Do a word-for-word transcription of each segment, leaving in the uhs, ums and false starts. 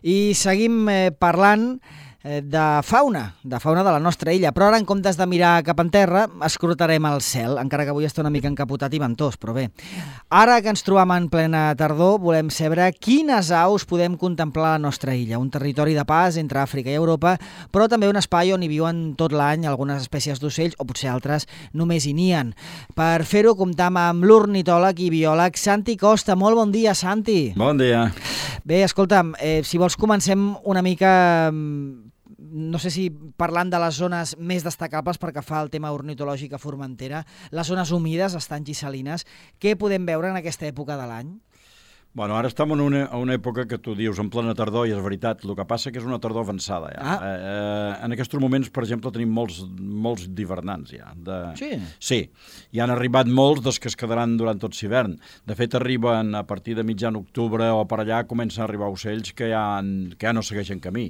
I seguim eh, parlant eh, de fauna, de fauna de la nostra illa, però ara en comptes de mirar cap en terra, escrutarem el cel, encara que avui està una mica encapotat i ventós, però bé. Ara que ens trobam en plena tardor, volem saber quines aus podem contemplar a la nostra illa, un territori de pas entre Àfrica i Europa, però també un espai on hi viuen tot l'any algunes espècies d'ocells, o potser altres només hi nien. Per fer-ho comptam amb l'ornitòleg i biòleg Santi Costa. Molt bon dia, Santi. Bon dia. Bé, escolta'm, eh, si vols comencem una mica, no sé si parlant de les zones més destacables perquè fa el tema ornitològic a Formentera, les zones humides, estanys i salines, què podem veure en aquesta època de l'any? Bueno, ara estem en una, una època que tu dius en plena tardor, i és veritat, el que passa que és una tardor avançada. Ja. Ah. Eh, en aquests moments, per exemple, tenim molts, molts d'hivernants ja. De... Sí? Sí, hi han arribat molts dels que es quedaran durant tot l'hivern. De fet, arriben a partir de mitjan octubre o per allà comencen a arribar ocells que ja, que ja no segueixen camí.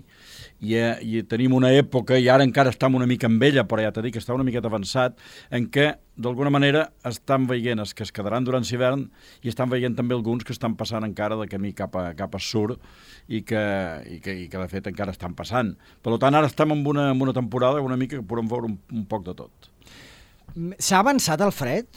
I, eh, I tenim una època, i ara encara estem una mica amb ella, però ja t'he dit que està una miqueta avançat, en què d'alguna manera estan veient els que es quedaran durant l'hivern i estan veient també alguns que estan passant encara de camí cap a, cap a sur i que, i, que, i que de fet encara estan passant. Per tant, ara estem en una, en una temporada una mica que podem veure un, un poc de tot. S'ha avançat el fred?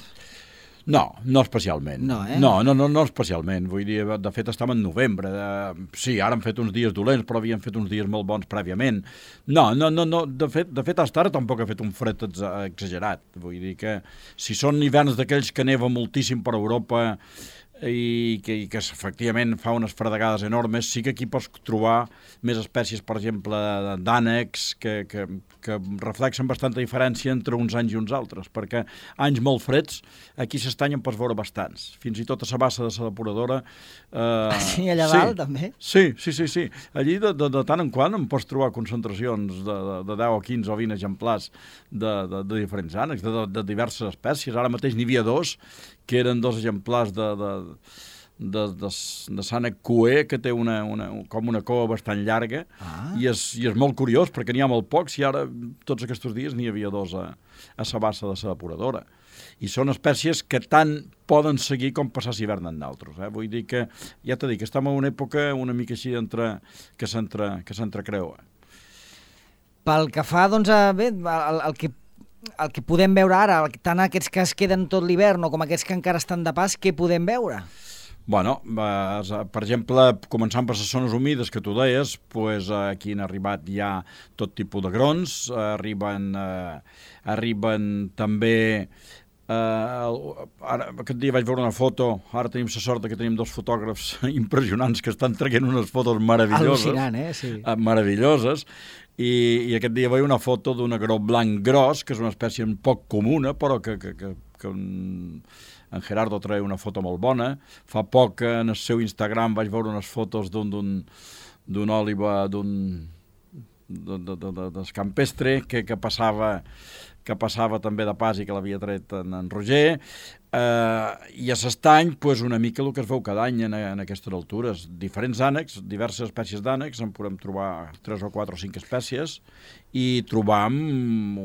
No, no especialment. No, eh? No, no, no, no especialment. Vull dir, de fet, estem en novembre. De... Sí, ara han fet uns dies dolents, però havien fet uns dies molt bons prèviament. No, no, no, no. De fet, de fet, fins ara tampoc ha fet un fred exagerat. Vull dir que si són hiverns d'aquells que neva moltíssim per Europa i que, i que efectivament fa unes fredegades enormes, sí que aquí pots trobar més espècies, per exemple, d'ànecs, que, que, que reflexen bastanta diferència entre uns anys i uns altres, perquè anys molt freds, aquí s'estany en pots veure bastants. Fins i tot a la bassa de la depuradora... Eh, sí, allà sí, dalt, també? Sí, sí, sí, sí. Allí, de, de, de tant en quant, en pots trobar concentracions de, de, de deu o quinze o vint exemplars de, de, de diferents ànecs, de, de, de diverses espècies. Ara mateix n'hi havia dos, que eren dos exemplars de, de, de, de, de sànec cuer, que té una, una, com una cua bastant llarga, ah. i, és, i és molt curiós, perquè n'hi ha molt pocs, i ara, tots aquests dies, n'hi havia dos a, a la bassa de la depuradora. I són espècies que tant poden seguir com passar l'hivern en d'altres. Eh? Vull dir que, ja t'he dit, que estem en una època una mica així entre, que s'entrecreua. Pel que fa, doncs, a, bé, el, el que el que podem veure ara, tant aquests que es queden tot l'hivern o com aquests que encara estan de pas, què podem veure? Bueno, per exemple, començant per les zones humides que tu deies, pues, aquí han arribat ja tot tipus de grons, arriben, eh, arriben també... Uh, ara, aquest dia vaig veure una foto, ara tenim la sort que tenim dos fotògrafs impressionants que estan traient unes fotos meravelloses. Al·lucinant, eh? Sí. Uh, meravelloses, i, i aquest dia veia una foto d'un agró blanc gros, que és una espècie poc comuna, però que, que, que, que un... en Gerardo treia una foto molt bona. Fa poc en el seu Instagram vaig veure unes fotos d'un d'un òliba d'un de, de, de, de, de campestre que, que passava que passava també de pas i que l'havia tret en, en Roger, eh, i a l'estany, pues, una mica el que es veu cada any en, en aquestes altures. Diferents ànecs, diverses espècies d'ànecs, en podem trobar tres o quatre o cinc espècies, i trobam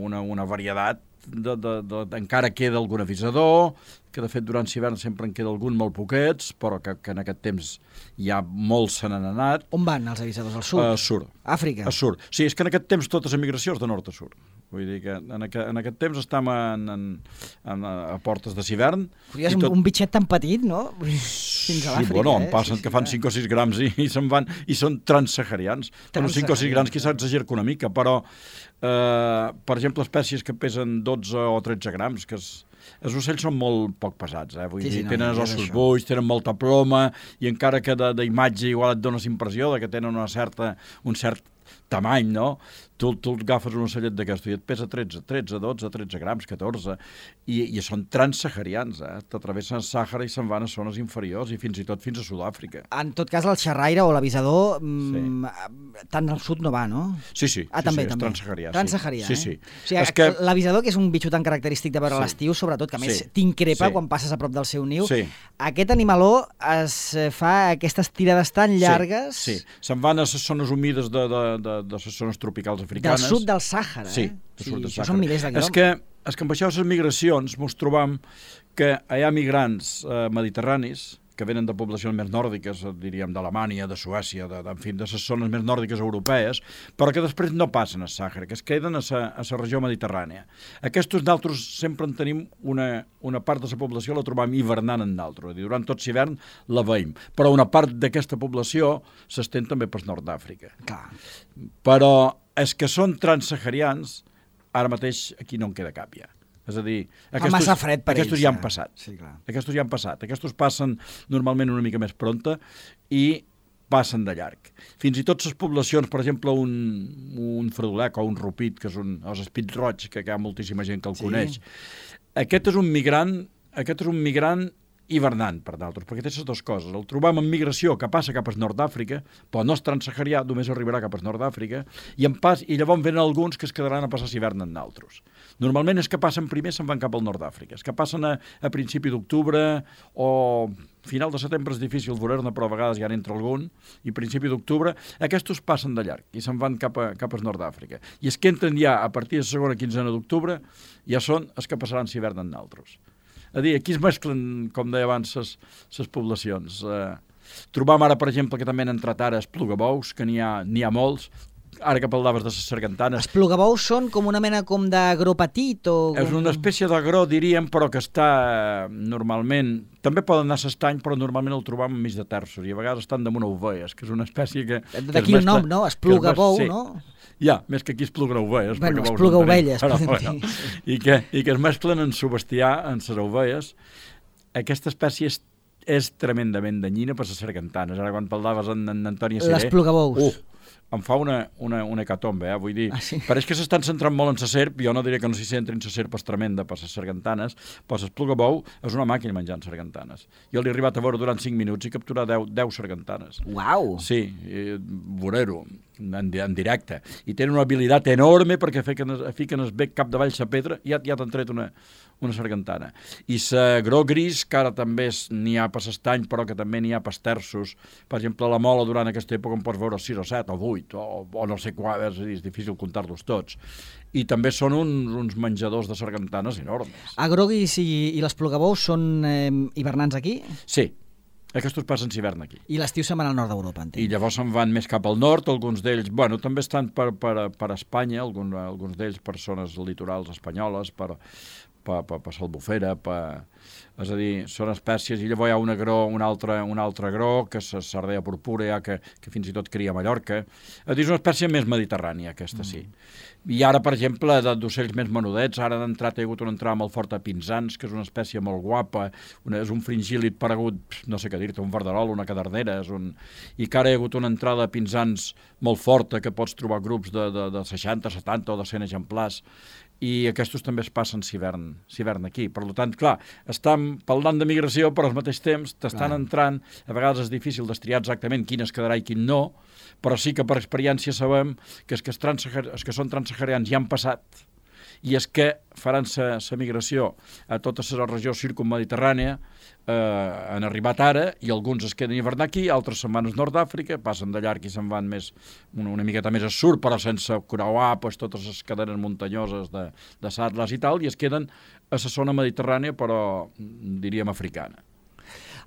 una, una varietat, de, de, de, de, encara queda algun avisador, que de fet durant l'hivern sempre en queda algun molt poquets, però que, que en aquest temps ja molts se n'han anat. On van els avisadors? Al sud? A sud. Àfrica? A sud. Sí, és que en aquest temps totes les migracions de nord a sud. Vull dir que en aquest, en aquest temps estem en, en, en, a portes de l'hivern. És tot... un bitxet tan petit, no? Fins a l'Àfrica, sí, bueno, eh? em passen sí, sí, que fan cinc o sis grams i, i se'n van, i són transsaharians. Bueno, cinc o sis grams quizás exagero una mica, però, eh, per exemple, espècies que pesen dotze o tretze grams, que és... Els ocells són molt poc pesats, eh? Vull sí, dir, sí, no, tenen els ossos buits, tenen molta ploma, i encara que d'imatge igual et dones impressió de que tenen una certa, un cert tamany, no? Tu, tu agafes un ocellet d'aquest i et pesa tretze, tretze, dotze, tretze grams, catorze, i, i són transsaharians, eh? T'atravessen el Sàhara i se'n van a zones inferiors i fins i tot fins a Sud-àfrica. En tot cas, el xerraire o l'avisador sí. tant al sud no va, no? Sí, sí, ah, sí, també, sí, és també. transsaharià. Transsaharià, sí. eh? Sí, sí. O sigui, és que... l'avisador, que és un bitxo tan característic de veure sí. l'estiu, sobretot, que a més sí. t'increpa sí. quan passes a prop del seu niu, sí. aquest animaló es fa aquestes tirades tan llargues... Sí, sí. Se'n van a les zones humides de, de, de, de les zones tropicals africanes. Del sud del Sàhara, sí, eh? Sí, sud del això Sàhara. Són milers de quilòmetres. És que, és que amb això de les migracions mos trobam que hi ha migrants eh, mediterranis que venen de poblacions més nòrdiques, diríem d'Alemanya, de Suècia, de, de, en fi, de les zones més nòrdiques europees, però que després no passen a Sàhara, que es queden a la regió mediterrània. Aquests d'altres sempre en tenim una, una part de la població la trobam hivernant en d'altres, durant tot l'hivern la veiem, però una part d'aquesta població s'estén també pel nord d'Àfrica. Clar. Però els que són transsaharians, ara mateix aquí no en queda cap ja. És a dir, aquestos, massa fred per aquestos ells, ja han eh? passat. Sí, clar. Aquestos ja han passat. Aquestos passen normalment una mica més pronta i passen de llarg. Fins i tot les poblacions, per exemple, un, un fredolec o un rupit, que és un, o l'espit roig, que hi ha moltíssima gent que el Sí. coneix. Aquest és un migrant, aquest és un migrant hivernant, per d'altres, perquè té les dues coses. El trobam en migració, que passa cap al nord d'Àfrica, però no és transsaharià, només arribarà cap al nord d'Àfrica, i en pas, i llavors venen alguns que es quedaran a passar l'hivern en d'altres. Normalment els que passen primer se'n van cap al nord d'Àfrica. Els que passen a, a principi d'octubre o final de setembre és difícil veure-ne, però a vegades ja n'entra algun, i principi d'octubre, aquests passen de llarg i se'n van cap, a, cap al nord d'Àfrica. I els que entren ja a partir de la segona quinzena d'octubre ja són els que passaran l'hivern en d'altres. A dir, aquí es mesclen, com deia abans, les poblacions. Eh, trobam ara, per exemple, que també han entrat ara esplugabous, que n'hi ha, n'hi ha molts. Ara que parlaves de les sargantanes... Els plugabous són com una mena com d'agró petit o... És una espècie d'agró, diríem, però que està eh, normalment... També poden anar a l'estany, però normalment el trobam enmig de terços, i a vegades estan damunt ovelles, que és una espècie que... D'aquí el nom, no? Esplugabou, sí. no? Ja, més que aquí es pluga ovelles. Bueno, es pluga ovelles. Però, bueno, i, que, I que es mesclen en subestiar, en les ovelles. Aquesta espècie és, és tremendament danyina per les sargantanes. Ara, quan parlaves en, en Antònia Siré... Les plugabous. Uh, em fa una, una, una hecatombe, eh? Vull dir, ah, sí? pareix que s'estan centrant molt en la serp, jo no diré que no s'hi centrin, la serp és tremenda per les sargantanes, però l'esplugabou és una màquina menjant sargantanes. Jo l'he arribat a veure durant cinc minuts i capturar deu sargantanes. Uau! Sí, veure-ho en, en directe. I tenen una habilitat enorme perquè fiquen, fiquen el bec capdavall la pedra i ja, ja t'han tret una, una sargantana. I la gros gris, que ara també n'hi ha per l'estany, però que també n'hi ha per terços. Per exemple, la mola durant aquesta època en pots veure sis o set o vuit, o, o no sé quan, és, és difícil comptar-los tots. I també són uns, uns menjadors de sargantanes enormes. Agroguis i, i les plugabous són eh, hivernants aquí? Sí. Aquests passen l'hivern aquí. I l'estiu se'n van al nord d'Europa, entenc. I llavors se'n van més cap al nord, alguns d'ells, bueno, també estan per, per, per Espanya, alguns, alguns d'ells per zones litorals espanyoles, per, per, per, per Salbufera, per... és a dir, són espècies, i llavors hi ha un agró, un altre, un altre agró, que és la sardella purpúrea, que, que fins i tot cria a Mallorca. És a dir, és una espècie més mediterrània, aquesta sí. Mm. I ara, per exemple, d'ocells més menudets, ara han entrat, hi ha hagut una entrada molt forta a pinsans, que és una espècie molt guapa, una, és un fringíl·lid paregut, no sé què dir-te, un verderol, una cadernera, és un... i que ara hi ha hagut una entrada a pinsans molt forta, que pots trobar grups de, de, de seixanta, setanta o de cent exemplars, i aquests també es passen l'hivern aquí. Per tant, clar, estan parlant de migració, però al mateix temps t'estan entrant, a vegades és difícil destriar exactament quin es quedarà i quin no, però sí que per experiència sabem que els que, els que són transsaharians ja han passat, i és que faran la migració a tota la regió circummediterrània, eh, han arribat ara, i alguns es queden a hivernar aquí, altres se'n van al nord d'Àfrica, passen de llarg i se'n van més, una, una miqueta més al sud, però sense creuar pues, totes les cadenes muntanyoses de, de l'Atlas i tal, i es queden a la zona mediterrània, però diríem africana.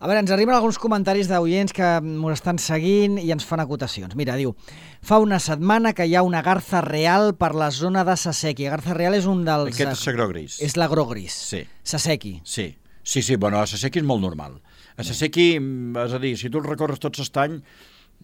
A veure, ens arriben alguns comentaris d'oients que ens estan seguint i ens fan acotacions. Mira, diu, fa una setmana que hi ha una garza real per la zona de Saseki. Garza real és un dels... Aquest és l'agrogris. És l'agrogris. Sí. Saseki. Sí, sí, sí, bueno, a Saseki és molt normal. A Saseki, és a dir, si tu el recorres tot l'estany,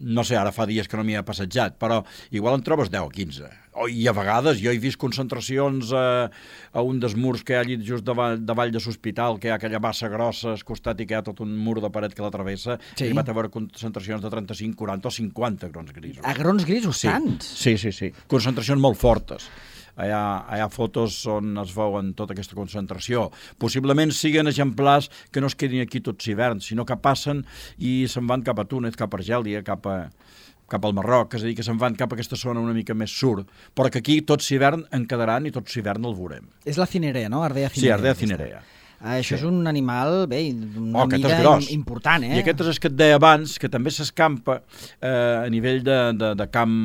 no sé, ara fa dies que no m'hi he passejat, però igual en trobes deu o quinze. Oh, i a vegades jo he vist concentracions a, a un dels murs que hi ha allí just davall, davall de l'hospital, que hi ha aquella massa grossa al costat i que hi ha tot un mur de paret que la travessa, sí. I hi va haver concentracions de trenta-cinc, quaranta o cinquanta grons grisos. Agrons grisos, sí. Tants? Sí, sí, sí. Concentracions molt fortes. Hi ha, hi ha fotos on es veuen tota aquesta concentració. Possiblement siguin exemplars que no es quedin aquí tots hivern, sinó que passen i se'n van cap a Túnez, cap a Argèlia, cap a... cap al Marroc, és a dir, que se'n van cap a aquesta zona una mica més sur, però que aquí tot l'hivern en quedaran i tot l'hivern el veurem. És la cinerea, no? Ardea cinerea. Sí, Ardea cinerea. Uh, això sí. És un animal, bé, d'una oh, mida important, eh? I aquest és el que et deia abans, que també s'escampa eh, a nivell de, de, de camp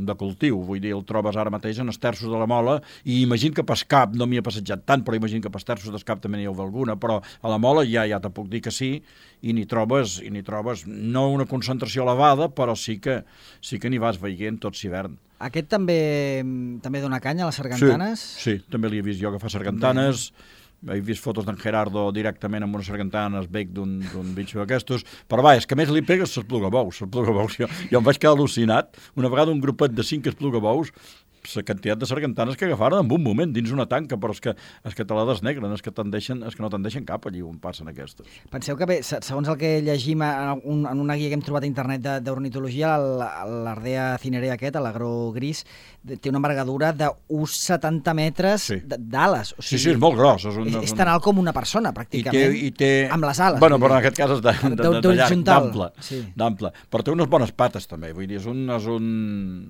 de cultiu. Vull dir, el trobes ara mateix en els terços de la Mola, i imagino que pas cap, no m'hi ha passejat tant, però imagino que pas terços d'escap també n'hi ha alguna, però a la Mola ja ja te puc dir que sí, i n'hi trobes, i n'hi trobes no una concentració elevada, però sí que sí que n'hi vas veient tot l'hivern. Aquest també també dona canya a les sargantanes? Sí, sí, també l'he vist jo que fa sargantanes. Bé. He vist fotos d'en Gerardo directament amb una sargantana al bec d'un bitxo d'aquestos, però va, és que més li pegues les plugabous, les plugabous. Jo, jo em vaig quedar al·lucinat. Una vegada un grupet de cinc plugabous, la quantitat de sargantanes que agafaren en un moment dins una tanca, però és que, és que te la desnegren, és que, deixen, és que no te'n deixen cap allí on passen aquestes. Penseu que bé, segons el que llegim en, un, en una guia que hem trobat a internet d'ornitologia, l'Ardea cinerea aquest, l'agro gris, té una envergadura d'un coma setanta metres sí. d'ales. O sigui, sí, sí, és molt gros. És, un, és, és tan alt com una persona, pràcticament, I té, i té... amb les ales. Bueno, però en aquest cas és d'ample, sí. d'ample. Però té unes bones pates, també. Vull dir, és, un, és, un,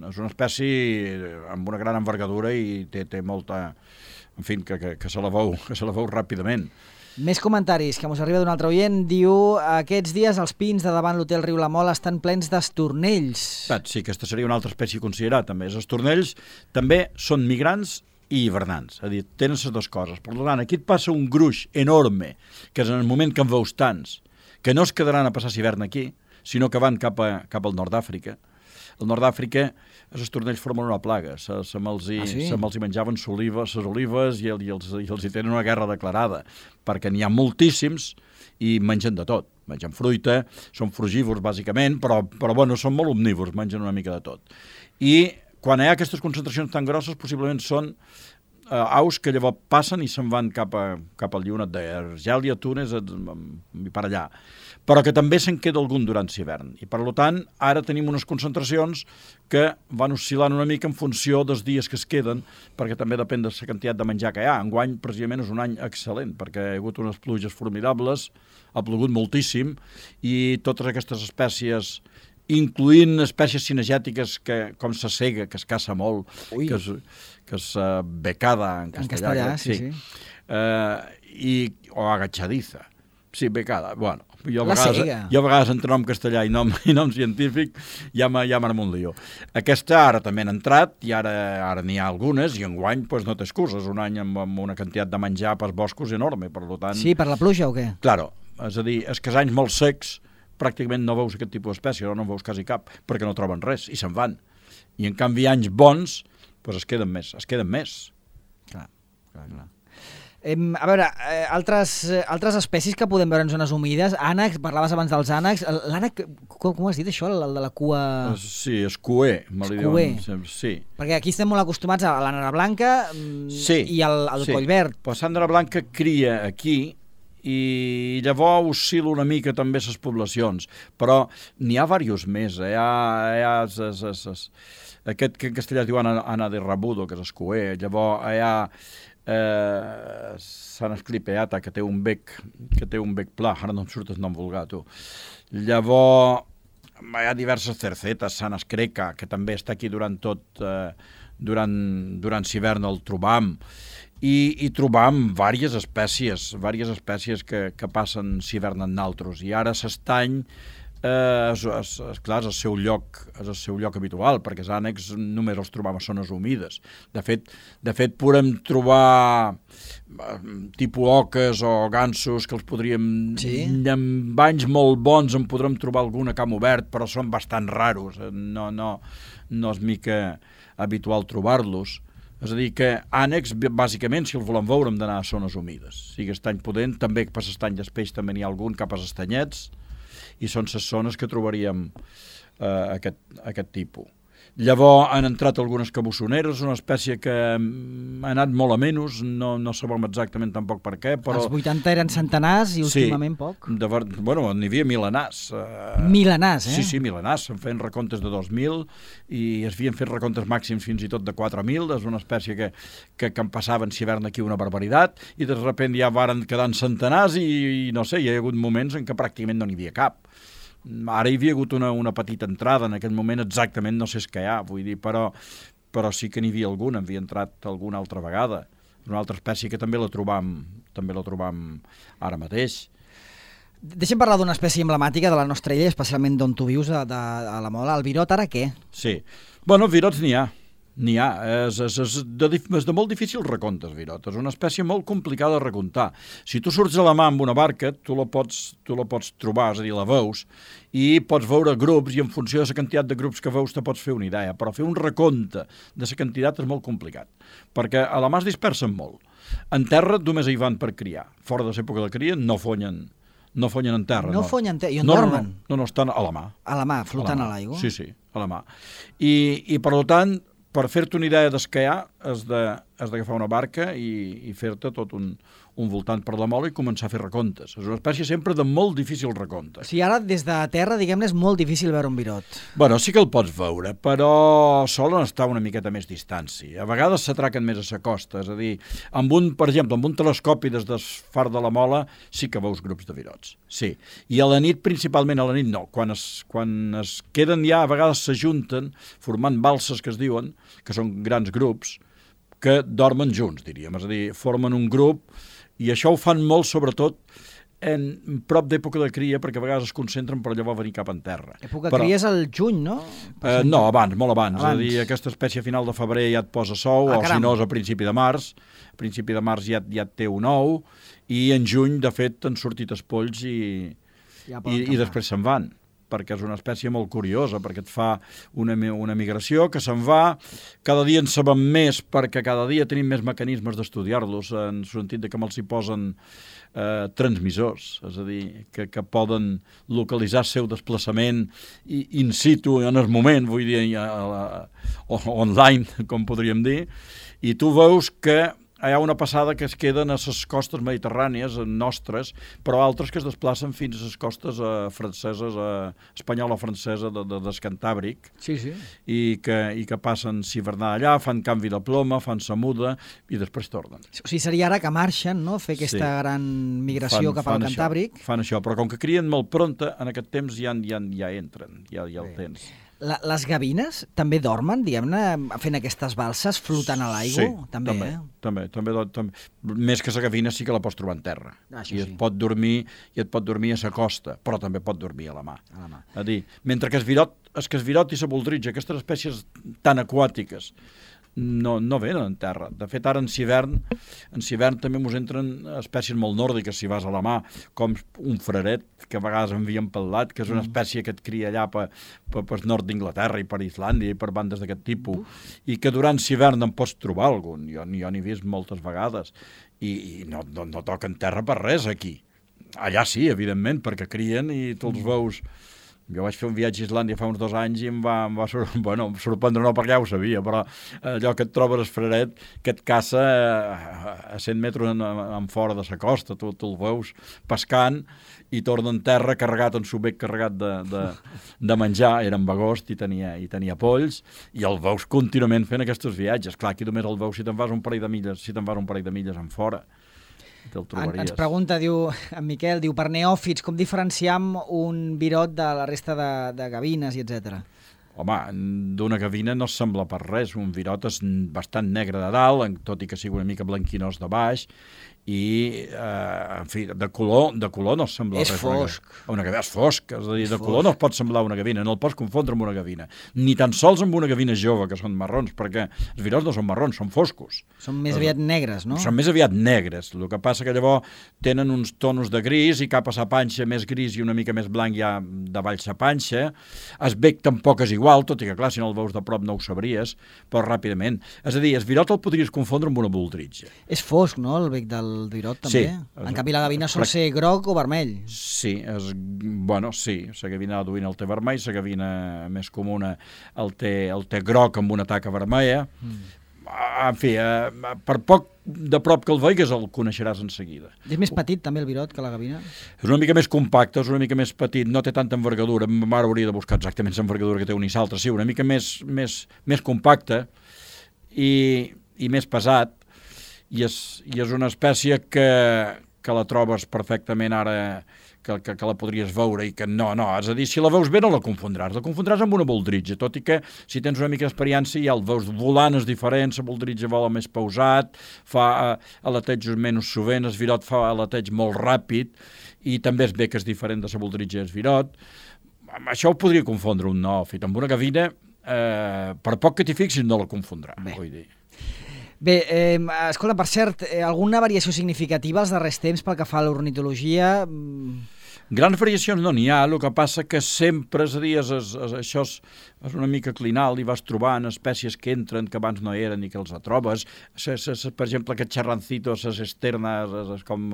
és una espècie amb una gran envergadura i té, té molta... En fi, que, que, que se la veu, que se la veu ràpidament. Més comentaris, que mos arriba d'un altre oient. Diu, aquests dies els pins de davant l'hotel Riu la Mola estan plens d'estornells. Sí, aquesta seria una altra espècie a considerar, també. Els estornells també són migrants i hivernants, és a dir, tenen les dues coses. Per tant, aquí et passa un gruix enorme, que és en el moment que en veus tants, que no es quedaran a passar l'hivern aquí, sinó que van cap, a, cap al nord d'Àfrica. Al nord d'Àfrica els estornells formen una plaga, se, se me'ls hi, ah, sí? hi menjaven les olives, les olives i, el, i, els, i els hi tenen una guerra declarada, perquè n'hi ha moltíssims i mengen de tot. Mengen fruita, són frugívors bàsicament, però, però bueno, són molt omnívors, mengen una mica de tot. I quan hi ha aquestes concentracions tan grosses, possiblement són eh, aus que llavors passen i se'n van cap, a, cap al llionet d'Argèlia, Túnez i per allà, però que també se'n queda algun durant l'hivern. I, per tant, ara tenim unes concentracions que van oscil·lant una mica en funció dels dies que es queden, perquè també depèn de la quantitat de menjar que hi ha. Enguany, precisament, és un any excel·lent, perquè hi ha hagut unes pluges formidables, ha plogut moltíssim, i totes aquestes espècies, incloent espècies cinegètiques que, com la sega, que es caça molt, Ui. que és, que és uh, becada en castellà. En castellà, sí, sí. sí. Uh, i, o agachadiza. Sí, becada, bueno. Jo a, la vegades, sega. jo a vegades entre nom castellà i nom, i nom científic ja m'armo un lío. Aquesta ara també han entrat i ara ara n'hi ha algunes i enguany pues, no té excuses. Un any amb, amb una quantitat de menjar pels boscos enorme, per tant... Sí, per la pluja o què? Claro, és a dir, és que els anys molt secs pràcticament no veus aquest tipus d'espècie, no en veus quasi cap, perquè no troben res i se'n van. I en canvi anys bons pues, es queden més, es queden més. Clar, clar, clar. Eh, a veure, eh, altres, eh, altres espècies que podem veure en zones humides, ànecs, parlaves abans dels ànecs, l'ànec, com, com has dit això, el de la cua... Sí, escuer, me li diuen, sí. Perquè aquí estem molt acostumats a la nara blanca sí, i al, al sí. coll verd. Però la nara blanca cria aquí i llavors oscil·la una mica també les poblacions, però n'hi ha diversos més, eh? hi ha... Hi ha es, es, es, aquest que en castellà es diu Ana, Ana de Rabudo, que és escuer, llavors hi ha... Eh, Sant Esclipeata, que té un bec que té un bec pla, ara no em surt el nom vulgar, tu. Llavors hi ha diverses cercetes, Sant Escreca, que també està aquí durant tot eh, durant, durant l'hivern el trobam, i, i trobam diverses espècies diverses espècies que, que passen l'hivern en naltros, i ara s'estany Eh, és, és, és, clar, és el seu lloc és el seu lloc habitual, perquè els ànecs només els trobam a zones humides. De fet, de fet podem trobar eh, tipus oques o gansos que els podríem... Sí? En banys molt bons en podrem trobar algun a camp obert, però són bastant raros. No, no, no és mica habitual trobar-los. És a dir, que ànecs, bàsicament, si els volem veure, hem d'anar a zones humides. O sigui, estany pudent, també per l'estany d'espeix també n'hi ha algun cap als estanyets, i són les zones que trobaríem eh, aquest, aquest tipus. Llavors han entrat algunes cabussoneres, una espècie que ha anat molt a menys, no, no sabem exactament tampoc per què, però... Els vuitanta eren centenars i últimament sí, poc. De, bueno, n'hi havia milenars. Eh, milenars, eh? Sí, sí, milenars. Se'n feien recomptes de dos mil i es havien fet recomptes màxims fins i tot de quatre mil. És una espècie que, que, que en passaven l'hivern aquí una barbaritat i de sobte ja varen quedar en centenars i, i no sé, hi ha hagut moments en què pràcticament no n'hi havia cap. Ara hi havia hagut una, una petita entrada, en aquest moment exactament no sé què hi ha, vull dir, però, però sí que n'hi havia alguna, havia entrat alguna altra vegada. una altra espècie que també la trobam, també la trobam ara mateix. Deixem parlar d'una espècie emblemàtica de la nostra illa, especialment d'on tu vius, a, de, a la Mola. El virot, ara què? Sí. Bueno, virots n'hi ha. N'hi ha. És, és, és, de, és de molt difícil recompte, el virot. És una espècie molt complicada de recomptar. Si tu surts a la mà amb una barca, tu la pots, tu la pots trobar, és a dir, la veus, i pots veure grups, i en funció de la quantitat de grups que veus te pots fer una idea. Però fer un recompte de la quantitat és molt complicat, perquè a la mà es dispersen molt. En terra només hi van per criar. Fora de l'època de cria no fonyen No fonyen en terra. No, no. fonyen en terra. I on no, dormen? No, no, no, estan a la mà. A la mà, flotant a l'aigua? Sí, sí, a la mà. I, i per tant, per fer-te una idea des que hi ha, has d'agafar una barca i, i fer-te tot un, un voltant per la mola i començar a fer recomptes. És una espècie sempre de molt difícil recompte. O sigui, ara des de terra, diguem-ne, és molt difícil veure un virot. Bueno, sí que el pots veure, però solen estar una miqueta més distància. A vegades s'atraquen més a la costa, és a dir, amb un, per exemple, amb un telescopi des del far de la Mola sí que veus grups de virots, sí. I a la nit, principalment a la nit, no. Quan es, quan es queden ja, a vegades s'ajunten, formant balses que es diuen, que són grans grups, que dormen junts, diríem, és a dir, formen un grup, i això ho fan molt, sobretot, en prop d'època de cria, perquè a vegades es concentren per llavors venir cap en terra. Època de cria és el juny, no? Eh, no, abans, molt abans. abans. És a dir, aquesta espècie a final de febrer ja et posa sou, ah, o si no és a principi de març. A principi de març ja, ja et té un ou, i en juny, de fet, t'han sortit espolls i, ja i, i després se'n van, perquè és una espècie molt curiosa, perquè et fa una, una migració que se'n va, cada dia en sabem més, perquè cada dia tenim més mecanismes d'estudiar-los, en el sentit de que me'ls hi posen eh, transmissors, és a dir, que, que poden localitzar el seu desplaçament in situ, en el moment, vull dir, a, a, a, online, com podríem dir, i tu veus que hi ha una passada que es queden a les costes mediterrànies nostres, però altres que es desplacen fins a les costes eh, franceses, eh, espanyola-francesa de, de, del Cantàbric, sí, sí. I, que, i que passen s'hivernar allà, fan canvi de ploma, fan sa muda i després tornen. O sigui, seria ara que marxen, no?, fer aquesta sí. gran migració fan, cap al Cantàbric. Això, fan això, però com que crien molt pronta, en aquest temps ja, ja, ja entren, ja, ja el tens. La, les gavines també dormen, diguem-ne, fent aquestes balses, flotant a l'aigua? Sí, també, també, eh? també, també, també. Més que la gavina sí que la pots trobar en terra. Ah, I et sí. pot dormir i et pot dormir a la costa, però també pot dormir a la mà. A la mà. A dir, mentre que es virot, es que es virot i la boldritja, aquestes espècies tan aquàtiques, no, no venen en terra. De fet, ara en hivern, en hivern també ens entren espècies molt nòrdiques, si vas a la mà, com un fraret, que a vegades envien pel lat, que és una espècie que et cria allà per, per, per nord d'Inglaterra i per Islàndia i per bandes d'aquest tipus, i que durant l'hivern en pots trobar algun. Jo, jo n'he vist moltes vegades, i, i no, no, no toquen terra per res aquí. Allà sí, evidentment, perquè crien i tu els veus. Jo vaig fer un viatge a Islàndia fa uns dos anys i em va, em va sor... bueno, sorprendre no, perquè ja ho sabia, però allò que et trobes el fraret que et caça a cent metres en, en fora de la costa, tu, tu el veus pescant i torna en terra carregat, en su bec carregat de, de, de menjar, era en agost i tenia, i tenia polls, i el veus contínuament fent aquests viatges. Clar, aquí només el veus si te'n vas un parell de milles, si te'n vas un parell de milles en fora. En, ens pregunta, diu, en Miquel, diu, per neòfits, com diferenciam un virot de la resta de, de gavines i etcètera? Home, d'una gavina no sembla per res. Un virot és bastant negre de dalt, tot i que sigui una mica blanquinós de baix, i, eh, en fi, de color, de color no sembla és res. Fosc. Una gavina és fosc. És a dir, és de fosc. color no es pot semblar una gavina, no el pots confondre amb una gavina. Ni tan sols amb una gavina jove, que són marrons, perquè els virots no són marrons, són foscos. Són més aviat negres, no? Són més aviat negres. El que passa que llavors tenen uns tonos de gris i cap a sa panxa més gris i una mica més blanc ja davall sa panxa. El bec tampoc és igual, tot i que, clar, si no el veus de prop no ho sabries, però ràpidament. És a dir, el virot el podries confondre amb una boldritja. És fosc, no?, el bec del virot, també? Sí. En canvi, la gavina sol ser groc o vermell. Sí, és, bueno, sí. La gavina aduïna el té vermell, la gavina més comuna el té, el té groc amb una taca vermella. Mm. En fi, eh, per poc de prop que el veigues el coneixeràs en seguida. És més petit també el virot que la gavina? És una mica més compacte, és una mica més petit, no té tanta envergadura. Ma mare hauria de buscar exactament l'envergadura que té un i l'altre. Sí, una mica més, més, més compacte i, i més pesat. I és, i és una espècie que, que la trobes perfectament ara que, que, que la podries veure i que no, no, és a dir, si la veus bé no la confondràs, la confondràs amb una boldritja, tot i que si tens una mica d'experiència ja el veus volant és diferent, la boldritja vola més pausat, fa alatejos menys sovint, el virot fa alateig molt ràpid i també es ve que és diferent de la boldritja i el virot. Això ho podria confondre un neòfit. Amb una gavina, eh, per poc que t'hi fixis, no la confondrà. Bé, vull dir. Bé eh, escolta, per cert, eh, alguna variació significativa als darrers temps pel que fa a l'ornitologia? Grans variacions no n'hi ha, el que passa que sempre, és a dir, és, és, és, això és, és una mica clinal i vas trobant espècies que entren que abans no eren i que els trobes. S, s, per exemple, aquest xarrancito, les esternes, és, és com...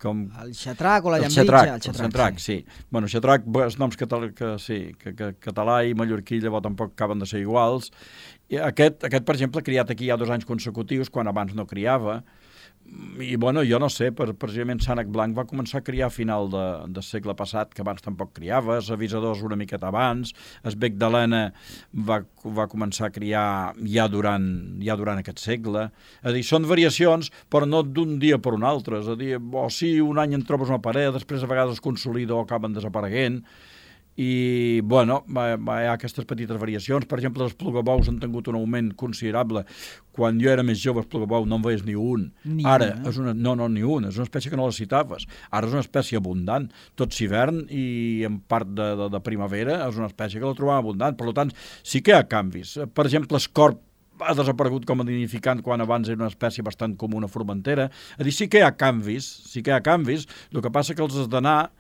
com... El xatrac o la el llambritja? Xatrac, el xatrac, el xatrac, sí. sí. Bueno, xatrac, els noms català, que, sí, que, que, català i mallorquí llavors tampoc acaben de ser iguals. I aquest, aquest, per exemple, criat aquí hi ha dos anys consecutius, quan abans no criava. I, bueno, jo no sé, per, precisament Sànec Blanc va començar a criar a final de, del segle passat, que abans tampoc criava, els avisadors una miqueta abans, el bec d'Helena va, va començar a criar ja durant, ja durant aquest segle. És a dir, són variacions, però no d'un dia per un altre. És a dir, o sí, un any en trobes una parella, després a vegades es consolida o acaben desapareguent, i, bueno, hi ha aquestes petites variacions. Per exemple, els plugabous han tingut un augment considerable. Quan jo era més jove, el plugabou no en veies ni un. Ni Ara, una. és una, no, no, ni un. És una espècie que no la citaves. Ara és una espècie abundant. Tot hivern i en part de, de, de primavera és una espècie que la trobam abundant. Per tant, sí que hi ha canvis. Per exemple, escorp ha desaparegut com a nidificant quan abans era una espècie bastant comuna a Formentera. És a dir, sí que hi ha canvis, sí que hi ha canvis. El que passa que els has d'anar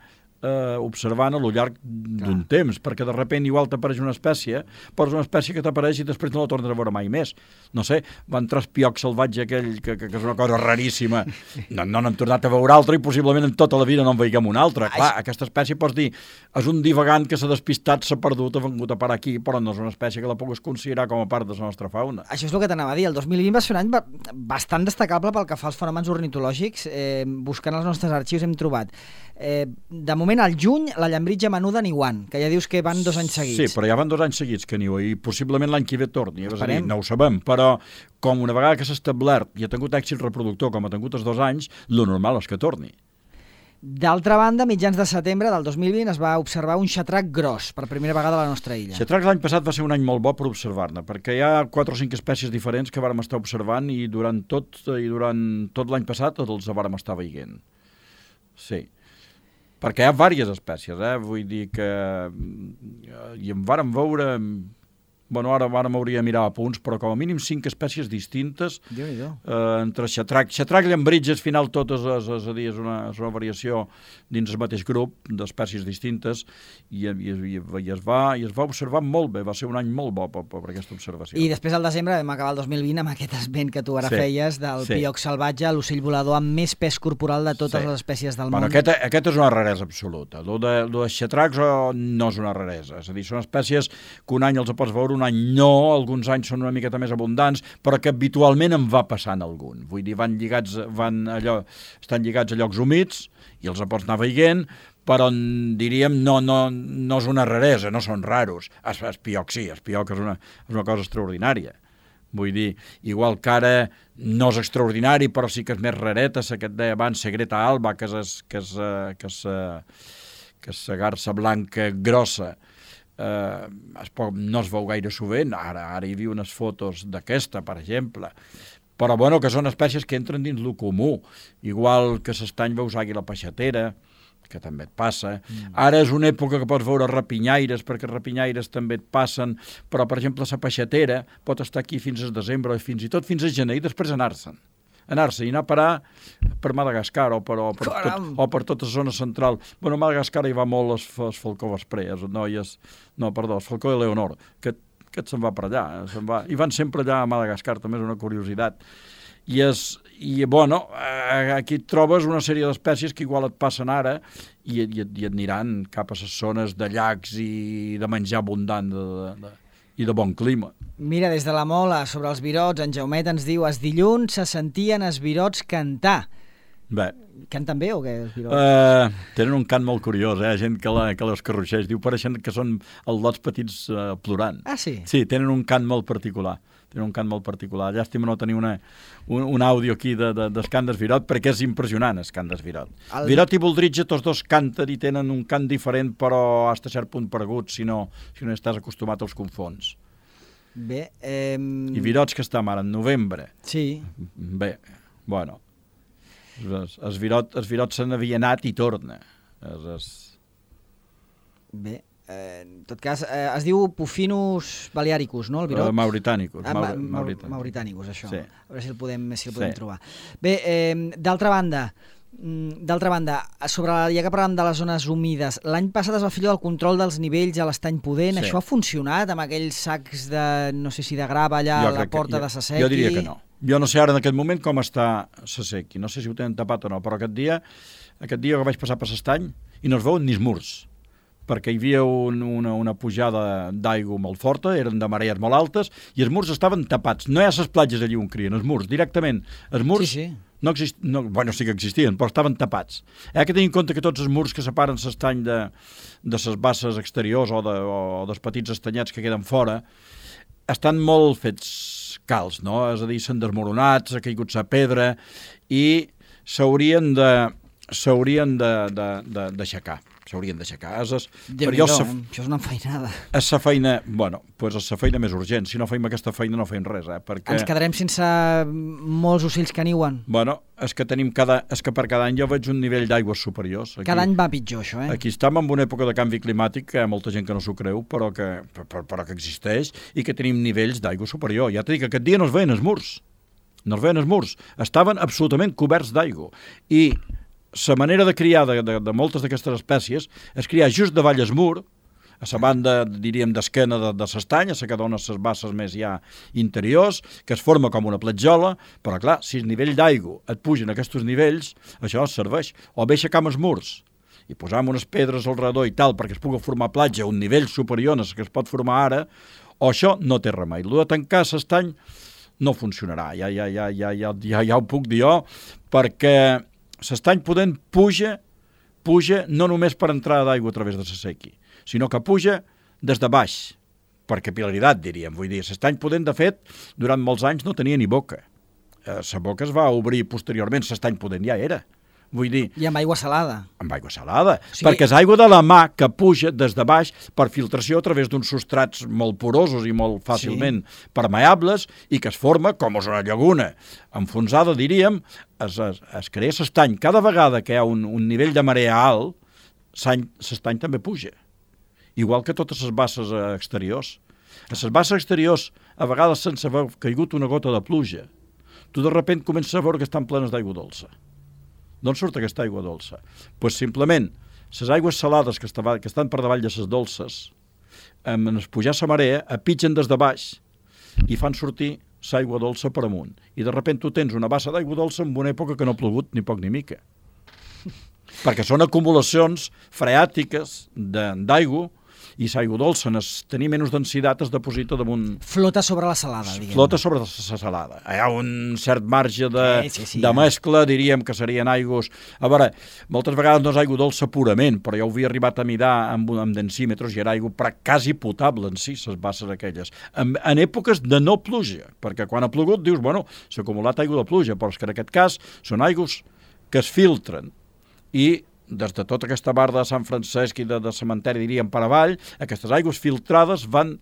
Eh, observant a lo llarg d'un temps, perquè de sobte igual t'apareix una espècie, però és una espècie que t'apareix i després no la tornes a veure mai més. No sé, va entrar el pioc salvatge aquell, que, que, que és una cosa raríssima. No, no n'hem tornat a veure altra i possiblement en tota la vida no en veiguem una altra. Clar, aquesta espècie pots dir, és un divagant que s'ha despistat, s'ha perdut, ha vengut a parar aquí, però no és una espècie que la puguis considerar com a part de la nostra fauna. Això és el que t'anava a dir. El dos mil vint va ser un any bastant destacable pel que fa als fenòmens ornitològics. Eh, buscant els nostres arxius hem trobat Eh, de moment, al juny, la llambritja menuda niuant, que ja dius que van dos anys seguits. Sí, però ja van dos anys seguits que niu, i possiblement l'any que ve torni. És a dir, Esperem. no ho sabem, però com una vegada que s'ha establert i ha tingut èxit reproductor, com ha tingut els dos anys, lo normal és que torni. D'altra banda, mitjans de setembre del dos mil vint es va observar un xatrac gros, per primera vegada a la nostra illa. Xatrac l'any passat va ser un any molt bo per observar-ne, perquè hi ha quatre o cinc espècies diferents que vàrem estar observant i durant tot, i durant tot l'any passat els vàrem estar veient. Sí. Perquè hi ha diverses espècies, eh? Vull dir que i en vàrem veure, bueno, ara ara m'hauria de mirar a punts, però com a mínim cinc espècies distintes, Déu-n'hi-do. eh, entre xatrac, xatrac i llambritja, al final tot és, és, és, a dir, és, una, és una variació dins el mateix grup d'espècies distintes i, i, i, i, es va, i es va observar molt bé, va ser un any molt bo per, per aquesta observació. I després al desembre vam acabar el dos mil vint amb aquest esment que tu ara Sí, feies del sí. pioc salvatge, l'ocell volador amb més pes corporal de totes Sí. les espècies del Bueno, món. aquest, aquest és una raresa absoluta. Lo de, lo de xatracs oh, no és una raresa. És a dir, són espècies que un any els pots veure, un any no, alguns anys són una miqueta més abundants, però que habitualment en va passant algun. Vull dir, van lligats, van allò, estan lligats a llocs humits i els pots anar veient, però diríem no, no, no és una raresa, no són raros. Es, es pioc sí, es pioc és una, és una cosa extraordinària. Vull dir, igual que ara no és extraordinari, però sí que és més rareta, la que et deia abans, la Greta alba, que és, que és, que és, que és la garsa blanca grossa, eh, es pot, no es veu gaire sovint. Ara, ara hi havia unes fotos d'aquesta, per exemple, però bueno, que són espècies que entren dins lo comú, igual que s'estany veus àguila peixatera, que també et passa. Mm. Ara és una època que pots veure rapinyaires, perquè rapinyaires també et passen, però, per exemple, la peixatera pot estar aquí fins al desembre, o fins i tot fins a gener, i després anar-se'n. Anar-se i anar a parar per Madagascar o per, o per, tot, o per tota la zona central. Bueno, a Madagascar hi va molt el, el falcó vesprè, els noies, no, perdó, el falcó de Leonor, que, que se'n va per allà. Se'n va, i van sempre allà a Madagascar, també és una curiositat. I, és, i bueno, aquí et trobes una sèrie d'espècies que igual et passen ara i, i, i et aniran cap a les zones de llacs i de menjar abundant de, de, de, i de bon clima. Mira, des de la Mola, sobre els virots, en Jaumet ens diu: es dilluns se sentien els virots cantar. Bé. Canten bé o què, els Virots? Uh, tenen un cant molt curiós, eh? Gent que, la, que les carruixeix. Diu, pareixen que són els lots petits uh, plorant. Ah, sí? Sí, tenen un cant molt particular. Tenen un cant molt particular. Llàstima no tenir una, un, un àudio aquí de, de, d'Escandes Virot, perquè és impressionant, Escandes Virot. El... Virot i Voldritge, tots dos canten i tenen un cant diferent, però hasta cert punt paregut, si no, si no estàs acostumat als confons. Bé, eh... I Virots que estem ara, en novembre. Sí. Bé, bueno... Es, es, virot, es virot se n'havia anat i torna. Es, es... Bé, eh, en tot cas, eh, es diu Pufinus balearicus, no, el virot? Uh, Mauritanicus. Ah, Maur Maur Mauritanicus. Mauritanicus, això. Sí. A veure si el podem, si el podem Sí. trobar. Bé, eh, d'altra banda, d'altra banda, sobre la, ja que parlàvem de les zones humides, l'any passat es va fer allò del control dels nivells a l'Estany Pudent. Sí. Això ha funcionat amb aquells sacs de, no sé si de grava allà Jo a la crec que- porta jo, de Sasequi? Jo diria que no. Jo no sé ara en aquest moment com està Sasequi. No sé si ho tenen tapat o no, però aquest dia, aquest dia que vaig passar per l'Estany i no es veuen ni els murs, perquè hi havia un, una, una pujada d'aigua molt forta, eren de marees molt altes, i els murs estaven tapats. No hi ha les platges allí on crien, els murs, directament. Els murs Sí, sí. no existien, no, bueno, sí que existien, però estaven tapats. Hi ha que tenir en compte que tots els murs que separen l'estany de, de les basses exteriors o, de, o dels petits estanyets que queden fora, estan molt fets calç, no? És a dir, s'han desmoronat, s'ha caigut la pedra i s'haurien de s'haurien de, de, de, d'aixecar. S'haurien d'aixecar. És, és, per Déu-n'hi-do, sa, eh? Això és una enfeinada. és la feina, bueno, pues és la feina més urgent. Si no feim aquesta feina no feim res, eh? Perquè, Ens quedarem sense molts ocells que niuen. bueno, és que tenim cada, és que per cada any jo veig un nivell d'aigües superiors. Aquí, Cada any va pitjor, això, eh? Aquí estem en una època de canvi climàtic que hi ha molta gent que no s'ho creu, però que, però, però que existeix i que tenim nivells d'aigua superior. Ja t'he dit que aquest dia no es veien els murs. No es veien els murs. Estaven absolutament coberts d'aigua. I la manera de criar de, de, de moltes d'aquestes espècies és criar just davall el mur, a la banda, diríem, d'esquena de, de l'estany, a la que dona les basses més ja interiors, que es forma com una platjola, però clar, si el nivell d'aigua et pugen a aquests nivells, això es serveix. O bé aixecam els murs i posam unes pedres al redor i tal, perquè es pugui formar platja a un nivell superior a que es pot formar ara, o això no té remei. El de tancar l'estany no funcionarà, ja, ja, ja, ja, ja, ja, ja ho puc dir jo, perquè l'estany Pudent puja, puja no només per entrada d'aigua a través de Sasequi, sinó que puja des de baix, per capil·laritat, diríem. Vull dir, l'estany Pudent, de fet, durant molts anys no tenia ni boca. La boca es va obrir posteriorment, l'estany Pudent ja era. Vull dir, I amb aigua salada. amb aigua salada, O sigui- perquè és aigua de la mà que puja des de baix per filtració a través d'uns substrats molt porosos i molt fàcilment sí. permeables i que es forma com és una llaguna enfonsada, diríem, es, es, es crea l'estany. Cada vegada que hi ha un, un nivell de marea alt, l'estany també puja, igual que totes les basses exteriors. A les basses exteriors, a vegades sense haver caigut una gota de pluja, tu de sobte comences a veure que estan plenes d'aigua dolça. D'on surt aquesta aigua dolça? Doncs pues simplement, les aigües salades que, estava, que estan per davall de les dolces, en es pujar la marea, apitgen des de baix i fan sortir l'aigua dolça per amunt. I de sobte tu tens una bassa d'aigua dolça en una època que no ha plogut ni poc ni mica. Perquè són acumulacions freàtiques d'aigua i l'aigua dolça, en tenir menys densitat, es deposita damunt... Flota sobre la salada, diguem. Flota sobre la salada. Hi ha un cert marge de, sí, sí, sí, de ja. mescla, diríem que serien aigües... A veure, moltes vegades no és aigua dolça purament, però jo ho havia arribat a mirar amb, amb densímetres i era aigua quasi potable en si, les basses aquelles. En, en èpoques de no pluja, perquè quan ha plogut dius, bueno, s'ha acumulat aigua de pluja, però és que en aquest cas són aigües que es filtren i des de tota aquesta barda de Sant Francesc i de, de cementeri, diríem, per avall, aquestes aigües filtrades van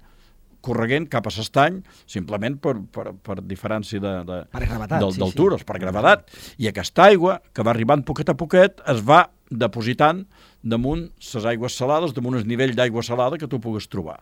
correguent cap a l'estany, simplement per, per, per diferència de, de, per gravetat, sí, d'altures, sí. per gravedat. I aquesta aigua, que va arribant poquet a poquet, es va depositant damunt les aigües salades, damunt el nivell d'aigua salada que tu pugues trobar.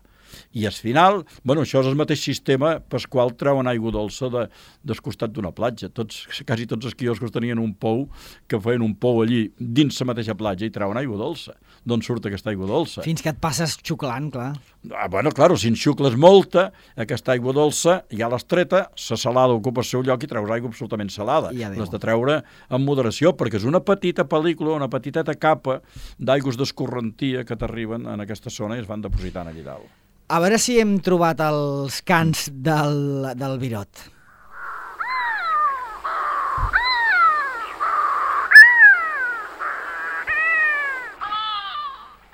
I al final, bueno, això és el mateix sistema pel qual treuen aigua dolça de, del costat d'una platja. Tots, quasi tots els quioscos tenien un pou, que feien un pou allí dins la mateixa platja i treuen aigua dolça. D'on surt aquesta aigua dolça? Fins que et passes xuclant, clar. Ah, bueno, claro, si en xucles molta, aquesta aigua dolça ja l'has treta, la salada ocupa el seu lloc i treus aigua absolutament salada. L'has de treure amb moderació, perquè és una petita pel·lícula, una petiteta capa d'aigües d'escorrentia que t'arriben en aquesta zona i es van depositant allà dalt. A veure si hem trobat els cants del, del Virot.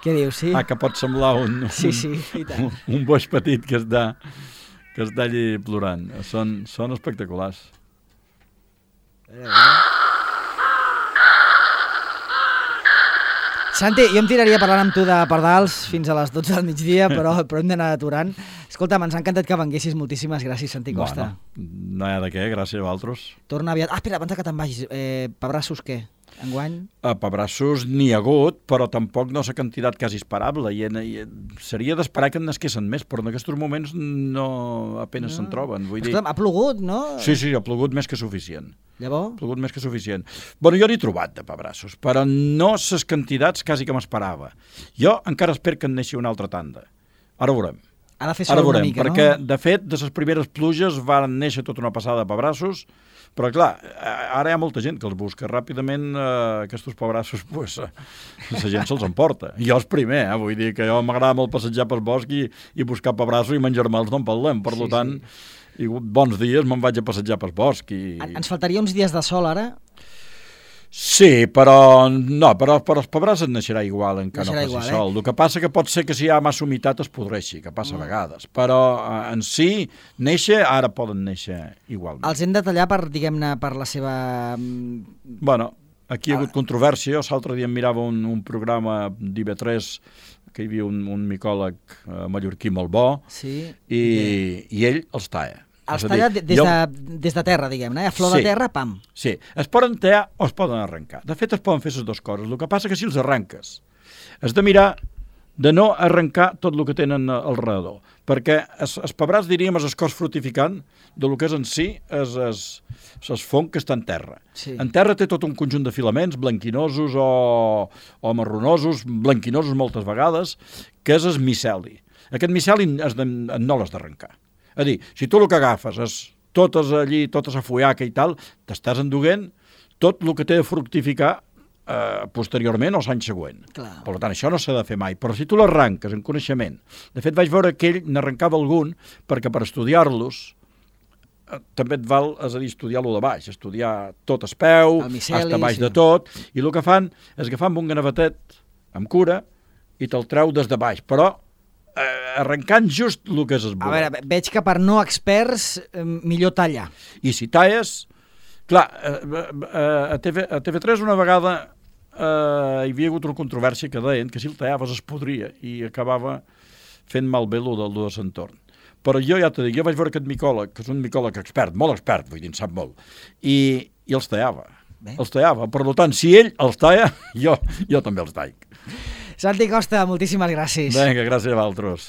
Què dius, sí? Ah, que pot semblar un, Sí, sí, i tant. un, un boix petit que està, que està allí plorant. Són, són espectaculars. Santi, jo em tiraria parlant amb tu de pardals fins a les dotze del migdia, però, però hem d'anar aturant. Escolta'm, ens ha encantat que venguessis. Moltíssimes gràcies, Santi Costa. Bueno, no hi ha de què, gràcies a vosaltres. Torna aviat. Ah, espera, abans que te'n vagis, eh, Pebrassos què? Enguany? A Pebrassos n'hi ha hagut, però tampoc no s'ha quantitat quasi esperable. I, en, i seria d'esperar que en nasquessin més, però en aquests moments no apenas no. se'n troben. Vull dir... Escolta'm, ha plogut, no? Sí, sí, ha plogut més que suficient. Llavors? Ha plogut més que suficient. Bueno, jo n'he trobat de Pebrassos, però no ses quantitats quasi que m'esperava. Jo encara espero que en neixi una altra tanda. Ara ho veurem. Ha de fer sol Ara veurem, una mica, perquè, no? de fet, de les primeres pluges van néixer tota una passada de pebrassos, però, clar, ara hi ha molta gent que els busca. Ràpidament, eh, aquests pebrassos, pues, eh, la gent se'ls emporta. Jo és primer, eh? Vull dir que jo m'agrada molt passejar pel bosc i, i buscar pebrassos i menjar-me'ls no en parlem. Per sí, tant, sí. I bons dies me'n vaig a passejar pel bosc. I... Ens faltaria uns dies de sol, ara? Sí, però no, però, però els pebrassos neixerà igual encara no faci igual, sol. Eh? El que passa que pot ser que si hi ha massa humitat es podreixi, que passa a vegades. Però eh, en si, néixer, ara poden néixer igualment. Els hem de tallar per, diguem-ne, per la seva... Bueno, aquí hi ha hagut controvèrsia. L'altre dia em mirava un, un programa d'I B tres que hi havia un, un micòleg eh, mallorquí molt bo sí. i, i ell els talla. Els talla des, jo... de, des de terra, diguem-ne, a flor sí, de terra, pam. Sí, es poden tallar o es poden arrencar. De fet, es poden fer les dues coses. El que passa que si els arrenques, has de mirar de no arrencar tot el que tenen al redador, perquè els, els pebrats, diríem, és el cos frutificant del que és en si és el fong que està en terra. Sí. En terra té tot un conjunt de filaments blanquinosos o, o marronosos, blanquinosos moltes vegades, que és el miceli. Aquest miceli has de, no l'has d'arrencar. És a dir, si tu el que agafes és totes allí, tota la fullaca i tal, t'estàs enduent tot el que té de fructificar eh, posteriorment o l'any següent. Clar. Per tant, això no s'ha de fer mai. Però si tu l'arranques en coneixement... De fet, vaig veure que ell n'arrencava algun perquè per estudiar-los eh, també et val, és a dir, estudiar-lo de baix, estudiar tot el peu, el miceli, hasta baix sí. de tot, i el que fan és agafar amb un ganavetet amb cura i te'l treu des de baix, però Eh, arrencant just el que és el A veure, veig que per no experts eh, millor tallar. I si talles... Clar, eh, eh, a, TV, a T V tres una vegada eh, hi havia hagut una controvèrsia que deien que si el tallaves es podria i acabava fent malbé el del de l'entorn. Però jo ja t'ho dic, jo vaig veure aquest micòleg, que és un micòleg expert, molt expert, vull dir, en sap molt, i, i els tallava. Bé. Els tallava. Per tant, si ell els talla, jo, jo també els tall. Santi Costa, moltíssimes gràcies. Vinga, gràcies a vosaltres.